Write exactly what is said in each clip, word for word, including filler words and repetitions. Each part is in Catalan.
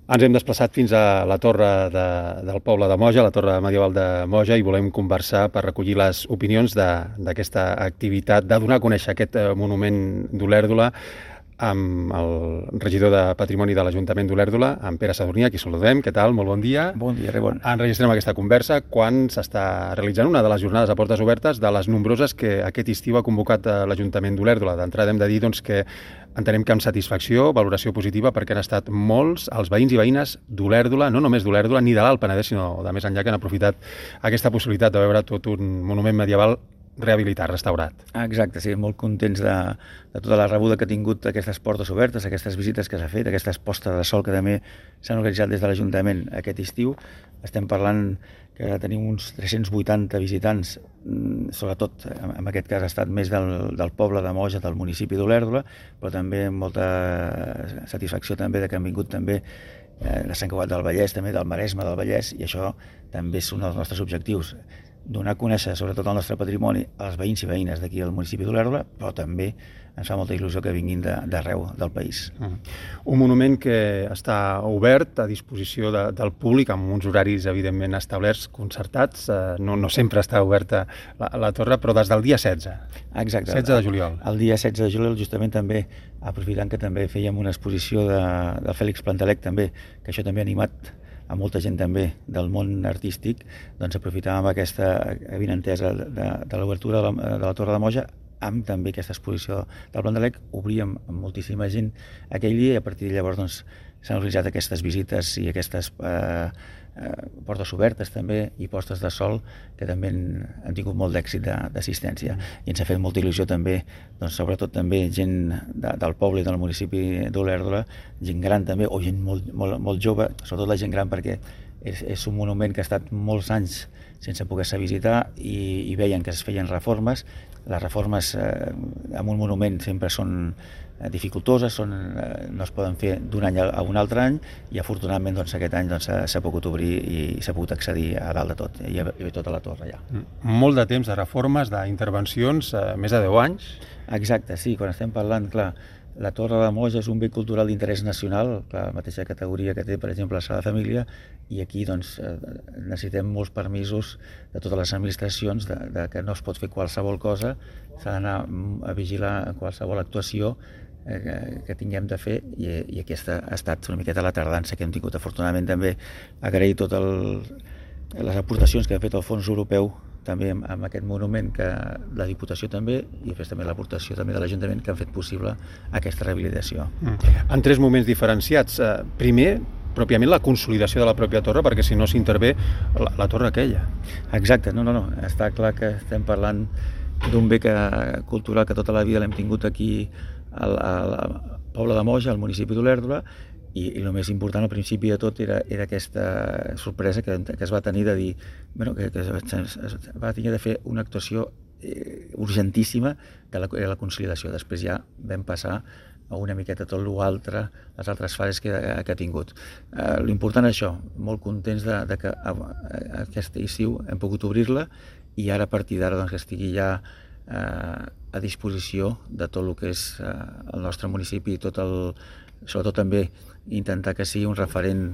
Ens hem desplaçat fins a la torre de, del poble de Moja, la torre medieval de Moja, i volem conversar per recollir les opinions d'aquesta activitat, de donar a conèixer aquest monument d'Olèrdola, amb el regidor de Patrimoni de l'Ajuntament d'Olèrdola, en Pere Sadurní, a qui saludem. Què tal? Molt bon dia. Bon dia, Rebon. Enregistrem aquesta conversa quan s'està realitzant una de les jornades a portes obertes de les nombroses que aquest estiu ha convocat l'Ajuntament d'Olèrdola. D'entrada hem de dir doncs, que entenem que amb satisfacció, valoració positiva, perquè han estat molts els veïns i veïnes d'Olèrdola, no només d'Olèrdola ni de l'Alt Penedès, sinó de més enllà, que han aprofitat aquesta possibilitat de veure tot un monument medieval rehabilitat, restaurat. Exacte, sí, molt contents de, de tota la rebuda que ha tingut aquestes portes obertes, aquestes visites que s'ha fet, aquestes postes de sol que també s'han organitzat des de l'Ajuntament aquest estiu. Estem parlant que tenim uns tres-cents vuitanta visitants, sobretot en aquest cas ha estat més del, del poble de Moja, del municipi d'Olèrdola, però també amb molta satisfacció també de que han vingut també de Sant Cugat del Vallès, també del Maresme del Vallès, i això també és un dels nostres objectius, donar a conèixer sobretot el nostre patrimoni als veïns i veïnes d'aquí al municipi d'Olèrdola, però també ens fa molta il·lusió que vinguin d'arreu del país. Mm. Un monument que està obert a disposició de, del públic amb uns horaris evidentment establerts, concertats, eh, no, no sempre està oberta la, la torre, però des del dia setze. Exacte. setze de juliol. El dia setze de juliol, justament també, aprofitant que també fèiem una exposició de, de Fèlix Plantalec també, que això també ha animat a molta gent també del món artístic, doncs aprofitàvem aquesta avinentesa de, de, de l'obertura de, la, de la Torre de Moja amb també aquesta exposició del Plantalec. Obríem amb moltíssima gent aquell dia i a partir de llavors doncs, s'han organitzat aquestes visites i aquestes eh, eh, portes obertes també i postes de sol que també han, han tingut molt d'èxit d'assistència. I ens ha fet molta il·lusió també, doncs, sobretot també gent de, del poble i del municipi d'Olèrdola, gent gran també, o gent molt, molt, molt jove, sobretot la gent gran perquè és, és un monument que ha estat molts anys sense poder-se visitar i, i veien que es feien reformes. Les reformes eh, en un monument sempre són eh, dificultoses, són, eh, no es poden fer d'un any a un altre any i afortunadament doncs, aquest any doncs, s'ha pogut obrir i s'ha pogut accedir a dalt de tot, i a, i a tota la torre ja. Molt de temps de reformes, d'intervencions, eh, més de deu anys. Exacte, sí, quan estem parlant, clar, la Torre de Moja és un bé cultural d'interès nacional, clar, la mateixa categoria que té, per exemple, la Sala de Família, i aquí doncs, necessitem molts permisos de totes les administracions, de, de que no es pot fer qualsevol cosa, s'ha d'anar a vigilar qualsevol actuació eh, que, que tinguem de fer, i, i aquesta ha estat una miqueta la tardança que hem tingut. Afortunadament també agrair totes les aportacions que ha fet el Fons Europeu també amb aquest monument, que la Diputació també, i després també l'aportació també de l'Ajuntament, que han fet possible aquesta rehabilitació. Mm. En tres moments diferenciats. Primer, pròpiament la consolidació de la pròpia torre, perquè si no s'intervé la, la torre aquella. Exacte, no, no, no. Està clar que estem parlant d'un bé que, cultural que tota la vida l'hem tingut aquí al, al, al poble de Moja, al municipi d'Olèrdola, i, i el més important al principi de tot era, era aquesta sorpresa que, que es va tenir de dir bueno, que, que es, es va tenir de fer una actuació eh, urgentíssima, que la, era la consolidació. Després ja vam passar a una miqueta tot l'altre, les altres fases que, que ha tingut. Eh, L'important és això, molt contents de, de que a, a, aquest estiu hem pogut obrir-la i ara a partir d'ara doncs, que estigui ja eh, a disposició de tot el que és eh, el nostre municipi i tot el, sobretot també intentar que sigui un referent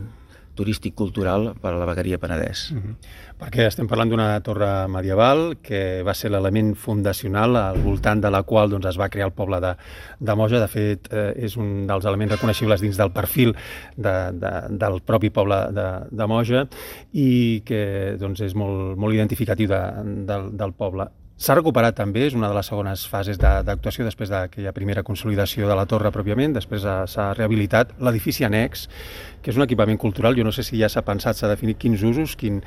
turístic cultural per a la vegueria Penedès. Mm-hmm. Perquè estem parlant d'una torre medieval que va ser l'element fundacional al voltant de la qual doncs, es va crear el poble de, de Moja. De fet, eh, és un dels elements reconeixibles dins del perfil de, de, del propi poble de, de Moja i que doncs, és molt, molt identificatiu de, del, del poble. S'ha recuperat també, és una de les segones fases d'actuació després d'aquella primera consolidació de la torre pròpiament, després s'ha rehabilitat l'edifici annex, que és un equipament cultural. Jo no sé si ja s'ha pensat, s'ha definit quins usos, quin,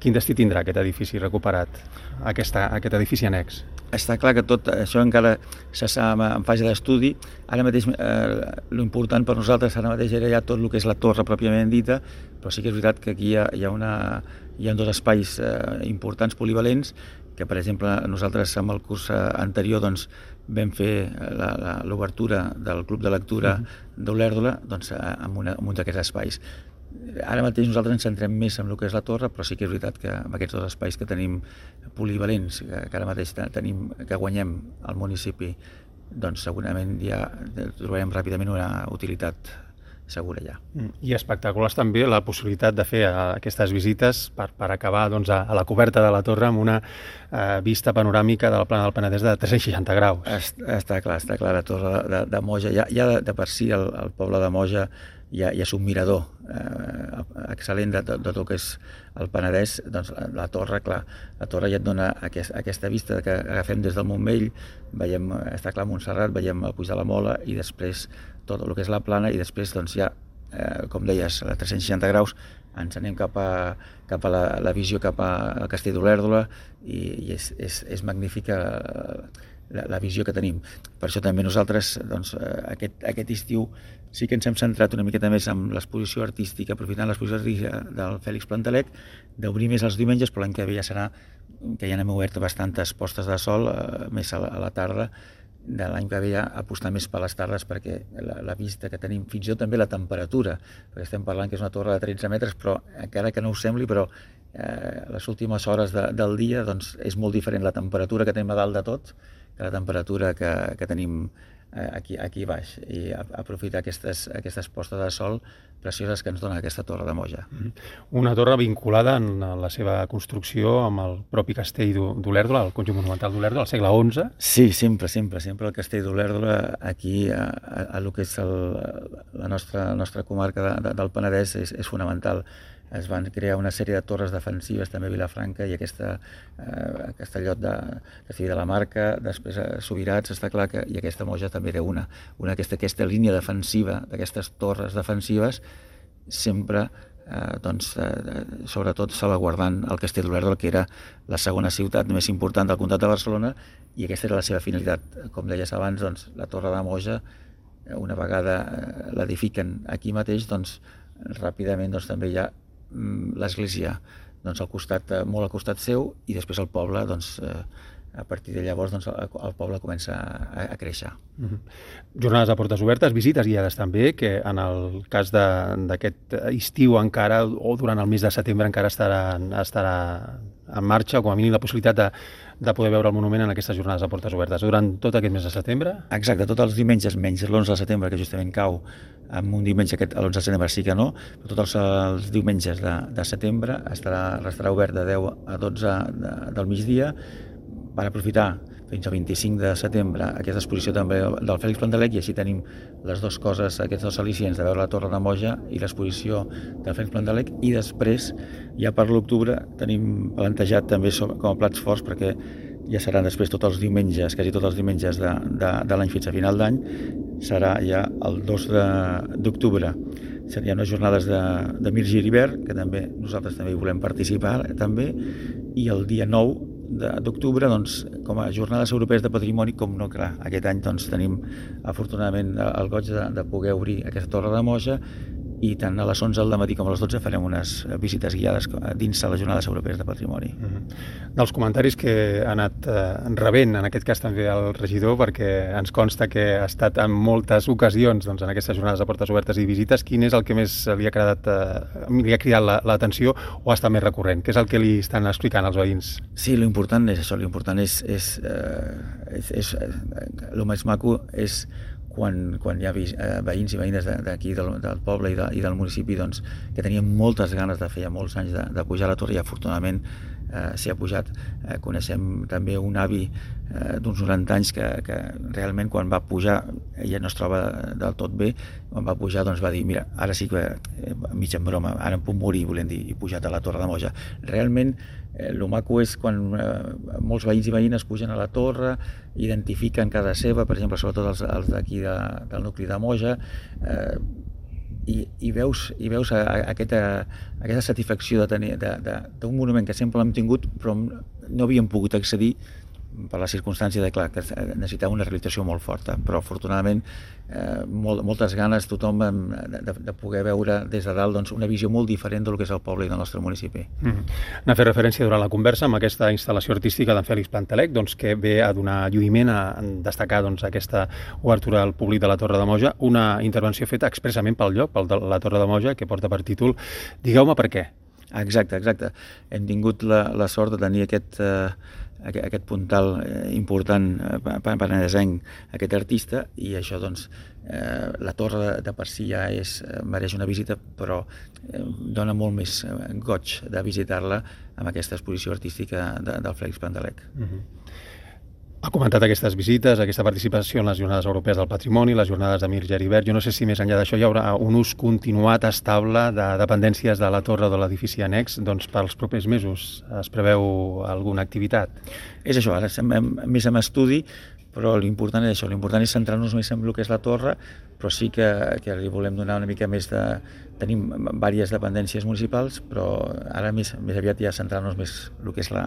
quin destí tindrà aquest edifici recuperat, aquesta, aquest edifici annex. Està clar que tot això encara s'està en fase d'estudi. Ara mateix eh, l'important per nosaltres ara mateix era ja tot el que és la torre pròpiament dita, però sí que és veritat que aquí hi ha, hi ha, una, hi ha dos espais eh, importants polivalents que, per exemple, nosaltres amb el curs anterior doncs, vam fer l'obertura del Club de Lectura uh-huh. d'Olèrdola doncs, en, una, en un d'aquests espais. Ara mateix nosaltres ens centrem més en el que és la torre, però sí que és veritat que amb aquests dos espais que tenim polivalents, que, que ara mateix tenim, que guanyem al municipi, doncs segurament ja trobarem ràpidament una utilitat segura ja. I espectaculars també la possibilitat de fer aquestes visites per, per acabar doncs, a, a la coberta de la torre amb una eh, vista panoràmica de la plana del Penedès de tres-cents seixanta graus. Est, està clar, està clar, la torre de, de Moja, ja, ja de, de per si el, el poble de Moja ja, ja és un mirador eh, excel·lent de, de, de tot el que és el Penedès. Doncs la, la torre, clar, la torre ja et dona aquest, aquesta vista que agafem des del Montmell, veiem, està clar, Montserrat, veiem el Puig de la Mola i després tot el que és la plana i després doncs ja, eh, com deies, a tres-cents seixanta graus ens anem cap a, cap a la, la visió cap al Castell d'Olèrdola i, i és, és, és magnífica la, la visió que tenim. Per això també nosaltres doncs, aquest, aquest estiu sí que ens hem centrat una miqueta més en l'exposició artística, aprofitant l'exposició artística del Fèlix Plantalec, d'obrir més els diumenges, però l'any que ve ja serà que ja n'hem obert bastantes postes de sol, eh, més a la, a la tarda, de l'any que ve ja apostar més per les tardes perquè la, la vista que tenim, fins i tot també la temperatura, perquè estem parlant que és una torre de tretze metres, però encara que no ho sembli, però eh, les últimes hores de, del dia doncs, és molt diferent la temperatura que tenim a dalt de tot que la temperatura que, que tenim eh, aquí, aquí baix, i aprofitar aquestes, aquestes postes de sol precioses que ens dona aquesta torre de Moja. Una torre vinculada en la seva construcció amb el propi castell d'Olèrdola, el conjunt monumental d'Olèrdola, al segle onze. Sí, sempre, sempre, sempre el castell d'Olèrdola aquí a, a, a lo que és el, la, nostra, la nostra comarca de, de, del Penedès és, és fonamental. Es van crear una sèrie de torres defensives també a Vilafranca i aquesta, eh, Castellot de Castell de la Marca, després a Subirats, està clar que i aquesta Moja també era una. una aquesta, aquesta línia defensiva d'aquestes torres defensives sempre eh, doncs, eh, sobretot salvaguardant el Castell d'Olèrdola, que era la segona ciutat més important del comtat de Barcelona, i aquesta era la seva finalitat. Com deies abans, doncs, la torre de Moja, una vegada eh, l'edifiquen aquí mateix, doncs, ràpidament doncs, també hi ha l'església doncs, al costat, molt al costat seu, i després el poble, doncs, a partir de llavors doncs, el poble comença a, a créixer. Mm-hmm. Jornades a portes obertes, visites guiades també, que en el cas d'aquest estiu encara, o durant el mes de setembre encara estarà, estarà en marxa, o com a mínim la possibilitat de, de poder veure el monument en aquestes jornades a portes obertes. Durant tot aquest mes de setembre? Exacte, tots els diumenges, menys l'onze de setembre, que justament cau amb un diumenge, aquest, l'onze de setembre sí que no, però tots els, els diumenges de, de setembre estarà, estarà obert de deu a dotze de, del migdia, per aprofitar fins al vint-i-cinc de setembre aquesta exposició també del Fèlix Plantalec, i així tenim les dues coses, aquests dos al·licients de veure la Torre de Moja i l'exposició del Fèlix Plantalec, i després, ja per l'octubre, tenim plantejat també com a plats forts, perquè ja seran després tots els diumenges, quasi tots els diumenges de, de, de l'any fins a final d'any, serà ja el dos d'octubre. Serien unes jornades de, de Mir Giribert, que també nosaltres també hi volem participar, també, i el dia nou d'octubre, doncs, com a jornades europees de patrimoni, com no, clar, aquest any doncs, tenim afortunadament el goig de, de poder obrir aquesta Torre de Moja, i tant a les onze del matí com a les dotze farem unes visites guiades dins de les jornades europees de patrimoni. Mm-hmm. Dels comentaris que ha anat eh, rebent, en aquest cas també el regidor, perquè ens consta que ha estat en moltes ocasions doncs, en aquestes jornades de portes obertes i visites, quin és el que més li ha cridat, eh, li ha cridat l'atenció o està més recurrent? Què és el que li estan explicant als veïns? Sí, l'important és això, l'important és, és, eh, és, és eh, el més maco és quan, quan hi ha veïns i veïnes d'aquí del, del poble i, de, i del municipi doncs, que tenien moltes ganes de fer ja molts anys de, de pujar a la torre, i afortunadament eh, s'hi ha pujat. Eh, coneixem també un avi eh, d'uns noranta anys que, que realment quan va pujar, ella no es troba del tot bé, quan va pujar doncs va dir, mira, ara sí que, eh, mig en broma, ara em puc morir, volem dir, i pujat a la Torre de Moja. Realment el eh, maco és quan eh, molts veïns i veïnes pugen a la torre, identifiquen cada seva, per exemple, sobretot els, els d'aquí de, del nucli de Moja, eh, i, i veus, i veus a, a aquesta, a aquesta satisfacció de tenir d'un monument que sempre l'hem tingut, però no havíem pogut accedir per la circumstància de, clar, que necessitava una rehabilitació molt forta, però afortunadament eh, molt, moltes ganes tothom de, de poder veure des de dalt doncs, una visió molt diferent del que és el poble i del nostre municipi. Mm-hmm. N'ha fet referència durant la conversa amb aquesta instal·lació artística d'en Fèlix Plantalec, doncs, que ve a donar lluïment, a destacar doncs, aquesta obertura al públic de la Torre de Moja, una intervenció feta expressament pel lloc, pel de la Torre de Moja, que porta per títol Digueu-me per què. Exacte, exacte. Hem tingut la, la sort de tenir aquest, eh, aquest puntal important penedesenc, aquest artista, i això, doncs, eh, la torre de per si ja és, mereix una visita, però eh, dona molt més goig de visitar-la amb aquesta exposició artística de, del Fèlix Plandelec. Uh-huh. Ha comentat aquestes visites, aquesta participació en les Jornades Europees del Patrimoni, les Jornades de Mir Geribert. Jo no sé si més enllà d'això hi haurà un ús continuat estable de dependències de la torre o de l'edifici annex, doncs pels propers mesos es preveu alguna activitat? És això, ara estem més en estudi, però l'important és això, l'important és centrar-nos més en el que és la torre, però sí que, que li volem donar una mica més de... Tenim diverses dependències municipals, però ara més, més aviat ja centrar-nos més en el que és la,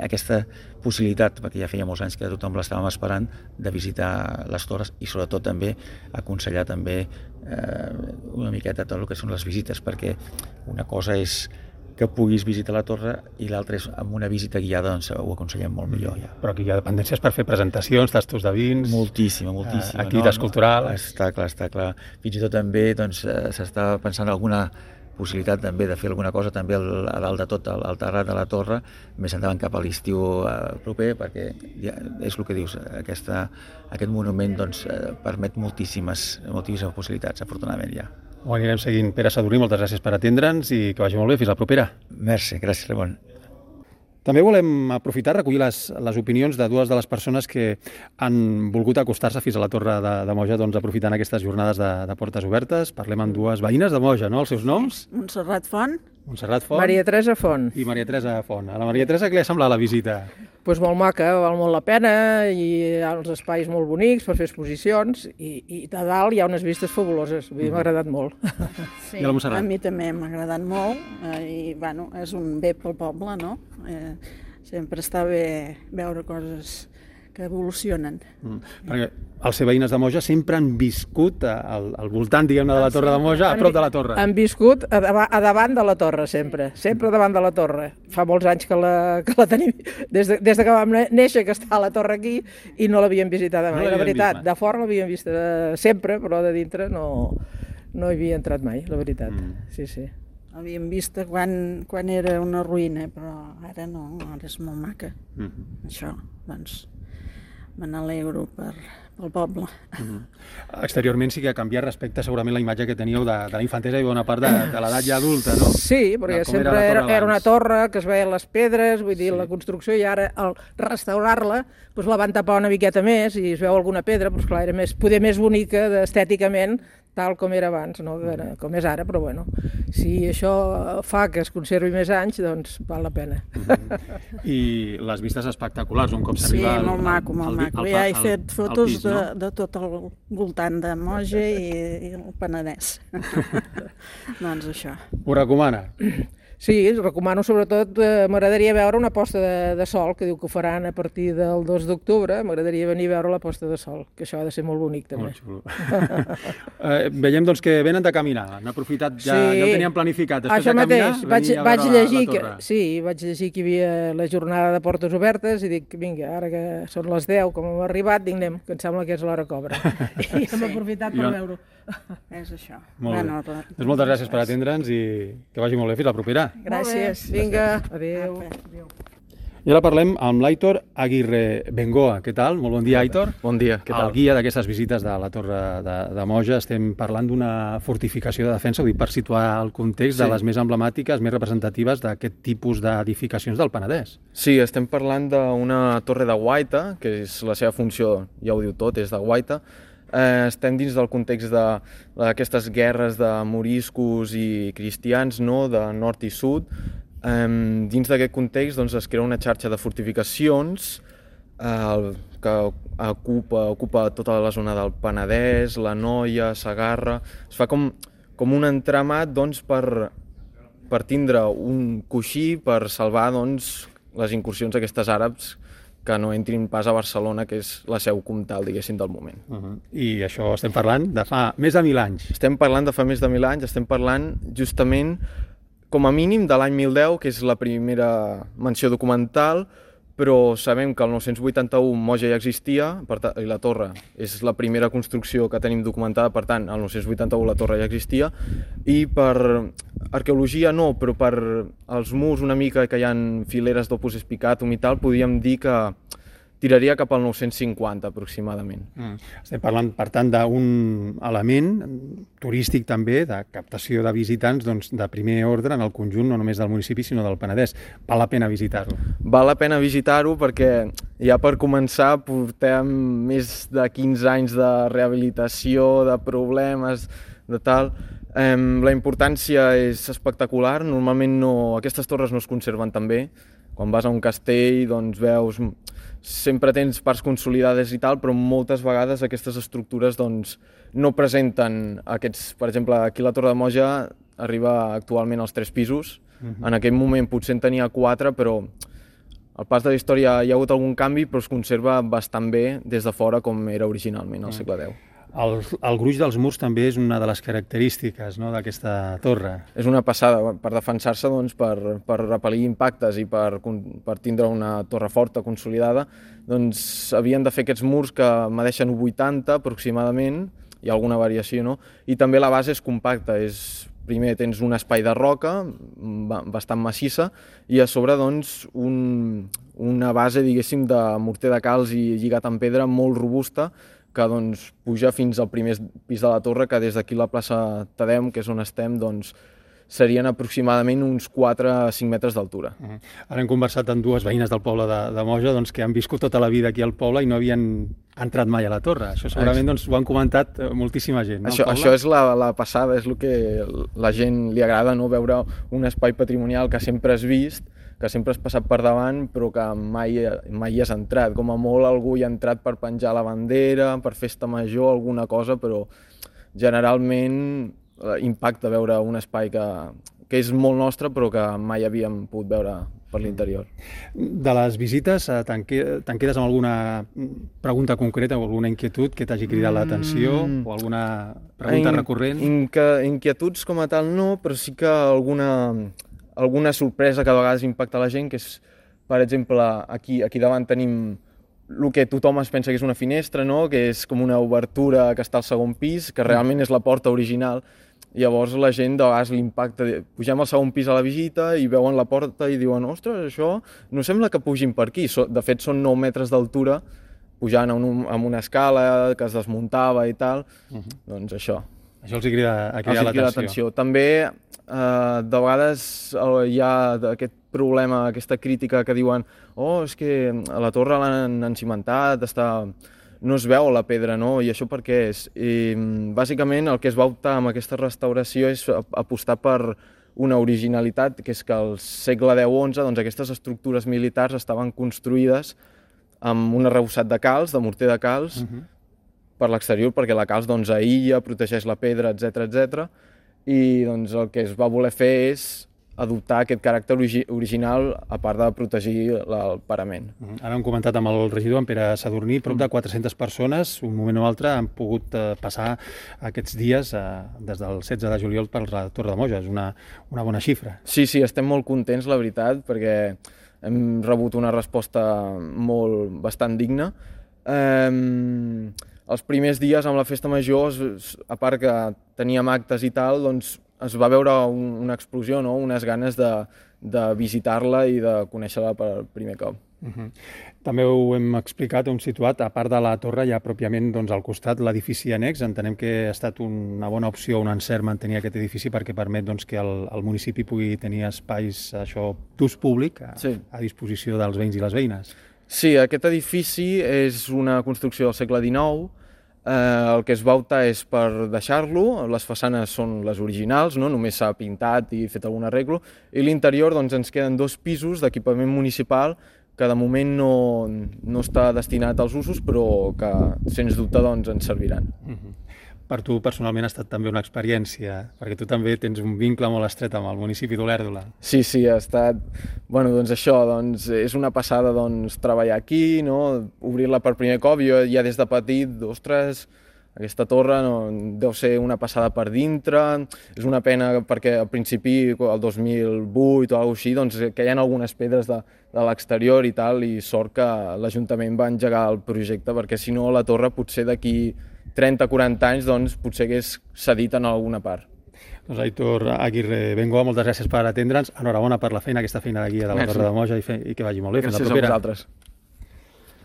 aquesta possibilitat, perquè ja feia molts anys que tothom l'estàvem esperant, de visitar les torres i sobretot també aconsellar també eh, una miqueta tot el que són les visites, perquè una cosa és que puguis visitar la torre i l'altra és amb una visita guiada, doncs ho aconsellem molt millor ja. Però aquí hi ha dependències per fer presentacions, tastos de vins... Moltíssima, moltíssima. Activitats no, culturals... No, està clar, està clar. Fins i tot també doncs, s'està pensant en alguna possibilitat també de fer alguna cosa també al, a dalt de tot, al, al terrat de la torre, més endavant cap a l'estiu eh, proper, perquè ja, és el que dius, aquesta, aquest monument doncs, eh, permet moltíssimes, moltíssimes possibilitats, afortunadament ja. Ho anirem seguint. Pere Sadurní, moltes gràcies per atendre'ns i que vagi molt bé. Fins la propera. Merci, gràcies, Ramon. També volem aprofitar, recollir les, les opinions de dues de les persones que han volgut acostar-se fins a la Torre de, de Moja, doncs, aprofitant aquestes jornades de, de portes obertes. Parlem amb dues veïnes de Moja, no? Els seus noms? Montserrat Font. Montserrat Font. Maria Teresa Font. I Maria Teresa Font. A la Maria Teresa què li ha semblat la visita? Pues molt maca, val molt la pena, i hi ha uns espais molt bonics per fer exposicions, i, i de dalt hi ha unes vistes fabuloses. Vull dir, m'ha agradat molt. Sí, a mi també m'ha agradat molt, eh, i bueno, és un bé pel poble, no? Eh, sempre està bé veure coses que evolucionen. Mm. Perquè els veïnes de Moja sempre han viscut al, al voltant, diguem-ne, de la Torre de Moja, a prop de la torre. Han viscut a, a davant de la torre, sempre. Sempre davant de la torre. Fa molts anys que la, que la tenim, des de, des de que vam néixer, que està la torre aquí, i no l'havíem visitada mai. No la veritat, vist, de fora l'havíem vist sempre, però de dintre no, no hi havia entrat mai, la veritat. Mm. Sí, sí. L'havíem vista quan, quan era una ruïna, però ara no, ara és molt maca. Mm-hmm. Això, doncs... me n'alegro per, pel poble. Mm-hmm. Exteriorment sí que ha canviat respecte segurament la imatge que teníeu de, de la infantesa i bona part de, de l'edat ja adulta, no? Sí, perquè sempre era, era, era una torre que es veien les pedres, vull dir, sí. La construcció, i ara al restaurar-la doncs la van tapar una miqueta més i es veu alguna pedra, doncs clar, era més, poder més bonica estèticament, tal com era abans, no? Era, com és ara, però bueno, si això fa que es conservi més anys, doncs val la pena. Mm-hmm. I les vistes espectaculars, un cop s'arriba... Sí, molt maco, molt maco. Ja he fet fotos de, de tot el voltant de Moja i, i el Penedès. Doncs això. Ho recomana? Sí, recomano sobretot, eh, m'agradaria veure una posta de, de sol, que diu que ho faran a partir del dos d'octubre, m'agradaria venir a veure la posta de sol, que això ha de ser molt bonic també. Molt xulo. eh, veiem doncs que venen de caminar, han aprofitat, ja, sí. Ja ho tenien planificat, després això de caminar, mateix, vaig, vaig llegir la, la que, sí, vaig llegir que hi havia la jornada de portes obertes i dic, vinga, ara que són les deu, com hem arribat, dic, anem, que em sembla que és l'hora cobra. I hem aprofitat per veure-ho. És això. Molt bé. Doncs moltes gràcies per atendre'ns i que vagi molt bé. Fins la propera. Gràcies. Vinga. Adéu. Adéu. I ara parlem amb l'Aitor Aguirre Bengoa. Què tal? Molt bon dia, Aitor. Bon dia, què tal? El guia d'aquestes visites de la Torre de, de Moja. Estem parlant d'una fortificació de defensa, ho dic per situar el context, sí. De les més emblemàtiques, més representatives d'aquest tipus d'edificacions del Penedès. Sí, estem parlant d'una torre de guaita, que és la seva funció, ja ho diu tot, és de guaita. Eh, estem dins del context d'aquestes guerres de moriscos i cristians, no?, de nord i sud. Eh, dins d'aquest context doncs, es crea una xarxa de fortificacions eh, que ocupa, ocupa tota la zona del Penedès, la Noia, Segarra. Es fa com, com un entramat doncs, per, per tindre un coixí per salvar doncs, les incursions d'aquestes àrabs que no entrin pas a Barcelona, que és la seu comtal, diguéssim, del moment. Uh-huh. I això estem parlant de fa més de mil anys. Estem parlant de fa més de mil anys, estem parlant justament, com a mínim, de l'any mil deu, que és la primera menció documental, però sabem que el nou-cents vuitanta-u Moja ja existia, per tant, i la torre és la primera construcció que tenim documentada, per tant, el nou-cents vuitanta-u la torre ja existia, i per arqueologia no, però per els murs una mica que hi ha fileres d'opus spicatum i tal, podríem dir que tiraria cap al nou-cents cinquanta aproximadament. Mm. Estem parlant, per tant, d'un element turístic també, de captació de visitants doncs, de primer ordre en el conjunt, no només del municipi, sinó del Penedès. Val la pena visitar-lo. Val la pena visitar-ho perquè ja per començar portem més de quinze anys de rehabilitació, de problemes, de tal. Eh, la importància és espectacular. Normalment no, aquestes torres no es conserven tan bé. Quan vas a un castell, doncs veus... Sempre tens parts consolidades i tal, però moltes vegades aquestes estructures doncs, no presenten aquests... Per exemple, aquí la Torre de Moja arriba actualment als tres pisos. Uh-huh. En aquell moment potser en tenia quatre, però al pas de la història hi ha hagut algun canvi, però es conserva bastant bé des de fora com era originalment al segle deu. El, el gruix dels murs també és una de les característiques, no?, d'aquesta torre. És una passada, per defensar-se, doncs, per, per repel·lir impactes i per, per tindre una torre forta, consolidada, doncs havien de fer aquests murs que medeixen un vuitanta aproximadament, hi ha alguna variació, no? I també la base és compacta, és, primer tens un espai de roca bastant massissa i a sobre doncs, un, una base, diguéssim, de morter de calç i lligat en pedra molt robusta, que doncs, puja fins al primer pis de la torre, que des d'aquí la plaça Tadeu, que és on estem, doncs, serien aproximadament uns quatre a cinc metres d'altura. Uh-huh. Ara hem conversat amb dues veïnes del poble de, de Moja doncs, que han viscut tota la vida aquí al poble i no havien entrat mai a la torre. Això segurament doncs, ho han comentat moltíssima gent. No, això, això és la, la passada, és el que la gent li agrada, no? Veure un espai patrimonial que sempre has vist, que sempre has passat per davant, però que mai, mai hi has entrat. Com a molt algú hi ha entrat per penjar la bandera, per festa major, alguna cosa, però generalment impacta veure un espai que, que és molt nostre, però que mai havíem pogut veure per l'interior. De les visites, te'n quedes amb alguna pregunta concreta o alguna inquietud que t'hagi cridat l'atenció mm. o alguna pregunta In, recurrent? Inque, inquietuds com a tal no, però sí que alguna... alguna sorpresa que a vegades impacta la gent, que és, per exemple, aquí, aquí davant tenim el que tothom es pensa que és una finestra, no? Que és com una obertura que està al segon pis, que realment és la porta original. Llavors la gent de vegades l'impacta. Pugem al segon pis a la visita i veuen la porta i diuen ostres, això no sembla que pugin per aquí. De fet, són nou metres d'altura, pujant amb una escala que es desmuntava i tal. Uh-huh. Doncs això. Això els crida, a cridar l'atenció. També, eh, de vegades hi ha aquest problema, aquesta crítica que diuen oh, és que a la torre l'han encimentat, està... no es veu la pedra, no? I això per què és? I, bàsicament, el que es va optar amb aquesta restauració és apostar per una originalitat, que és que al segle deu onze doncs, aquestes estructures militars estaven construïdes amb un arrebossat de calç, de morter de calç, uh-huh. per l'exterior, perquè la calç doncs, aïlla, protegeix la pedra, etcètera, etcètera. I doncs, el que es va voler fer és adoptar aquest caràcter origi original a part de protegir el parament. Ara hem comentat amb el regidor, en Pere Sadurní, prop de quatre-centes persones, un moment o altre, han pogut eh, passar aquests dies eh, des del setze de juliol per la Torre de Moja. És una, una bona xifra. Sí, sí, estem molt contents, la veritat, perquè hem rebut una resposta molt, bastant digna. Eh, els primers dies amb la festa major, a part que teníem actes i tal, doncs es va veure un, una explosió, no? Unes ganes de, de visitar-la i de conèixer-la per primer cop. Uh-huh. També ho hem explicat, ho hem situat, a part de la torre hi ha pròpiament doncs, al costat l'edifici annex. Entenem que ha estat una bona opció, un encert mantenir aquest edifici perquè permet doncs, que el, el municipi pugui tenir espais d'ús públic a, sí. a disposició dels veïns i les veïnes. Sí, aquest edifici és una construcció del segle dinou. Eh, el que es va optar és per deixar-lo, les façanes són les originals, no? Només s'ha pintat i fet algun arreglo, i l'interior doncs, ens queden dos pisos d'equipament municipal que de moment no, no està destinat als usos, però que sens dubte doncs, ens serviran. Uh-huh. Per tu personalment ha estat també una experiència, perquè tu també tens un vincle molt estret amb el municipi d'Olèrdola. Sí, sí, ha estat... Bueno, doncs això, doncs, és una passada doncs, treballar aquí, no? Obrir-la per primer cop. Jo ja des de petit, ostres, Aquesta torre no, deu ser una passada per dintre, és una pena perquè al principi, el dos mil vuit o alguna cosa així, doncs, que hi ha algunes pedres de, de l'exterior i tal, i sort que l'Ajuntament va engegar el projecte, perquè si no la torre potser d'aquí trenta o quaranta anys doncs, potser hagués cedit en alguna part. Doncs Aitor Aguirre Bengoa, moltes gràcies per atendre'ns. Enhorabona per la feina, aquesta feina de guia de la Torre de Moja, i, fe, i que vagi molt bé. Gràcies a vosaltres.